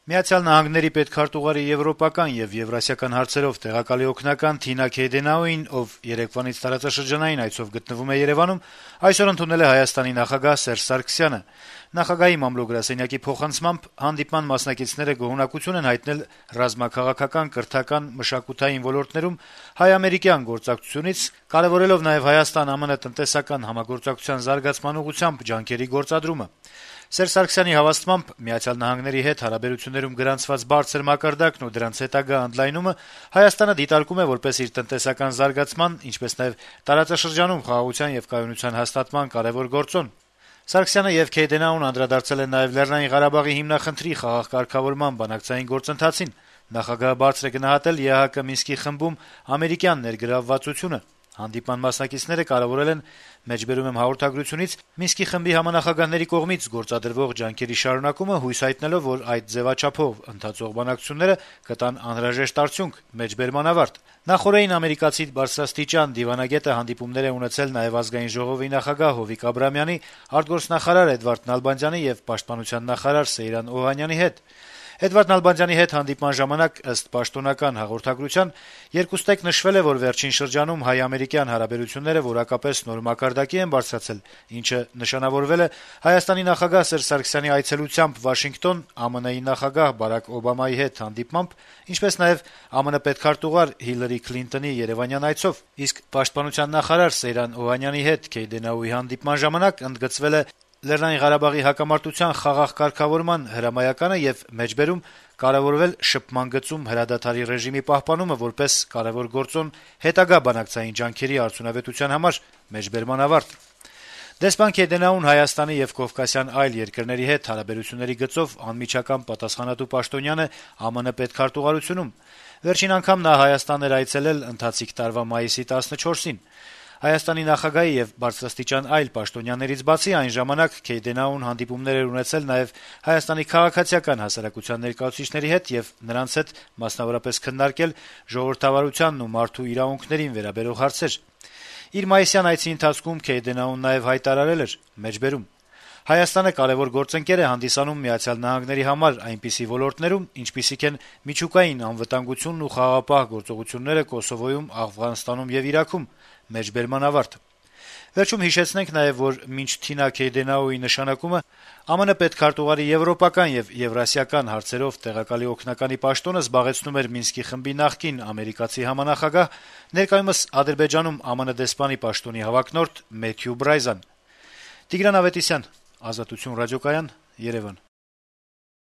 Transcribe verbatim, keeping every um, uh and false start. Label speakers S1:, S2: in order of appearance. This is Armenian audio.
S1: Միացյալ Նահանգների պետքարտուղարի եվրոպական եւ եվրասիական հարցերով տեղակալի օգնական Թինա Քեյդենաուին, ով երեկվանից տարածաշրջանային այցով գտնվում է Երեւանում, այսօր ընդունել է Հայաստանի նախագահ Սերժ Սարգսյանը։ Նախագահի մամլո-գրասենյակի փոխանցմամբ հանդիպման մասնակիցները գոհունակություն են հայտնել ռազմաքաղաքական, կրթական, մշակութային ոլորտներում հայ-ամերիկյան գործակցությունից, կարեւորելով նաեւ Հայաստան-ԱՄՆ տնտեսական համագործակցության զարգացման ուղղությամբ ջանքերի գործադրումը։ Սերժ Սարգսյանի հավաստմամբ Միացյալ Նահանգների հետ հարաբերություններում գրանցված բարձր մակարդակն ու դրանց հետագա ընդլայնումը Հայաստանը դիտարկում է որպես իր տնտեսական զարգացման, ինչպես նաեւ տարածաշրջանում խաղաղության եւ կայունության հաստատման կարեւոր գործոն։ Սարգսյանը եւ Քեյդենաուն անդրադարձել են նաեւ Լեռնային Ղարաբաղի հիմնախնդրի խաղաղ կարգավորման բանակցային գործընթացին։ Նախագահը բարձր է գնահատել ԵԱՀԿ Մինսկի խմբում ամերիկյան ներգրավվածությունը։ Հանդիպման մասնակիցները կարեւորել են մեջբերում եմ հաղորդագրությունից Մինսկի խմբի համանախագահների կողմից գործադրվող ջանքերի շարունակումը, հույս հայտնելով, որ այդ ձեւաչափով ընթացող բանակցությունները կտան անհրաժեշտ արդյունք՝ մեջբերման ավարտ։ Նախորդին ամերիկացի բարձրաստիճան դիվանագետը հանդիպումներ է ունեցել նաեւ Ազգային ժողովի նախագահ Հովիկ Աբրահամյանի, արտգործնախարար Էդվարդ Նալբանդյանի եւ պաշտպանության նախարար Սեյրան Օհանյանի հետ։ Էդվարդ Նալբանդյանի հետ հանդիպման ժամանակ, ըստ պաշտոնական հաղորդագրության, երկուստեք նշվել է, որ վերջին շրջանում հայ-ամերիկյան հարաբերությունները որակապես նոր մակարդակի են բարձրացել, ինչը նշանավորվել է Հայաստանի նախագահ Սերժ Սարգսյանի այցելությամբ Վաշինգտոն, ԱՄՆ-ի նախագահ Բարակ Օբամայի հետ հանդիպմամբ, ինչպես նաեւ ԱՄՆ պետքարտուղար Հիլարի Քլինտոնի Երեւանյան այցով, իսկ պաշտպանության նախարար Սեյրան Օհանյանի հետ Քեյդենաուի հանդիպման ժամանակ ընդգծվել է Լեռնային Ղարաբաղի հակամարտության խաղաղ կարգավորման հրամայականը եւ մեջբերում կարեւորվել շփման գծում հրադադարի ռեժիմի պահպանումը որպես կարեւոր գործոն հետագա բանակցային ջանքերի արդյունավետության համար մեջբերման ավարտ։ Դեսպան Քեյդենաուն Հայաստանի եւ Կովկասյան այլ երկրների հետ հարաբերությունների գծով անմիջական պատասխանատու պաշտոնյան է ԱՄՆ պետքարտուղարությունում։ Վերջին անգամ նա Հայաստան էր այցելել ընթացիկ տարվա մայիսի տասնչորսին։ Հայաստանի նախագահի եւ բարձրաստիճան այլ պաշտոնյաներից բացի այն ժամանակ Քեյդենաուն հանդիպումներ էր ունեցել նաեւ Հայաստանի քաղաքացիական հասարակության ներկայացուցիչների հետ եւ նրանց հետ մասնավորապես քննարկել ժողովրդավարությանն ու մարդու իրավունքներին վերաբերող հարցեր։ Իր մայիսյան այցի ընթացքում Քեյդենաուն նաեւ հայտարարել էր. մեջբերում Հայաստանը կարեւոր գործընկեր է հանդիսանում Միացյալ Նահանգների համար այնպիսի ոլորտներում, ինչպիսիք են միջուկային անվտանգությունն ու խաղաղապահ գործողությունները Կոսովոյում, Աֆղանստանում եւ Իրաքում։ Մեջբերման ավարտ։ Վերջում հիշեցնենք նաեւ, որ մինչ Թինա Քեյդենաուի նշանակումը ԱՄՆ պետքարտուղարի եվրոպական եւ եվրասիական հարցերով տեղակալի օգնականի պաշտոնը զբաղեցնում էր Մինսկի խմբի նախկին ամերիկացի համանախագահ, ներկայումս Ադրբեջանում ԱՄՆ դեսպանի պաշտոնի հավակնորդ Մեթյու Բրայզան։ Տիգրան Ավետիսյան, Ազատություն ռադիոկայան, Երևան։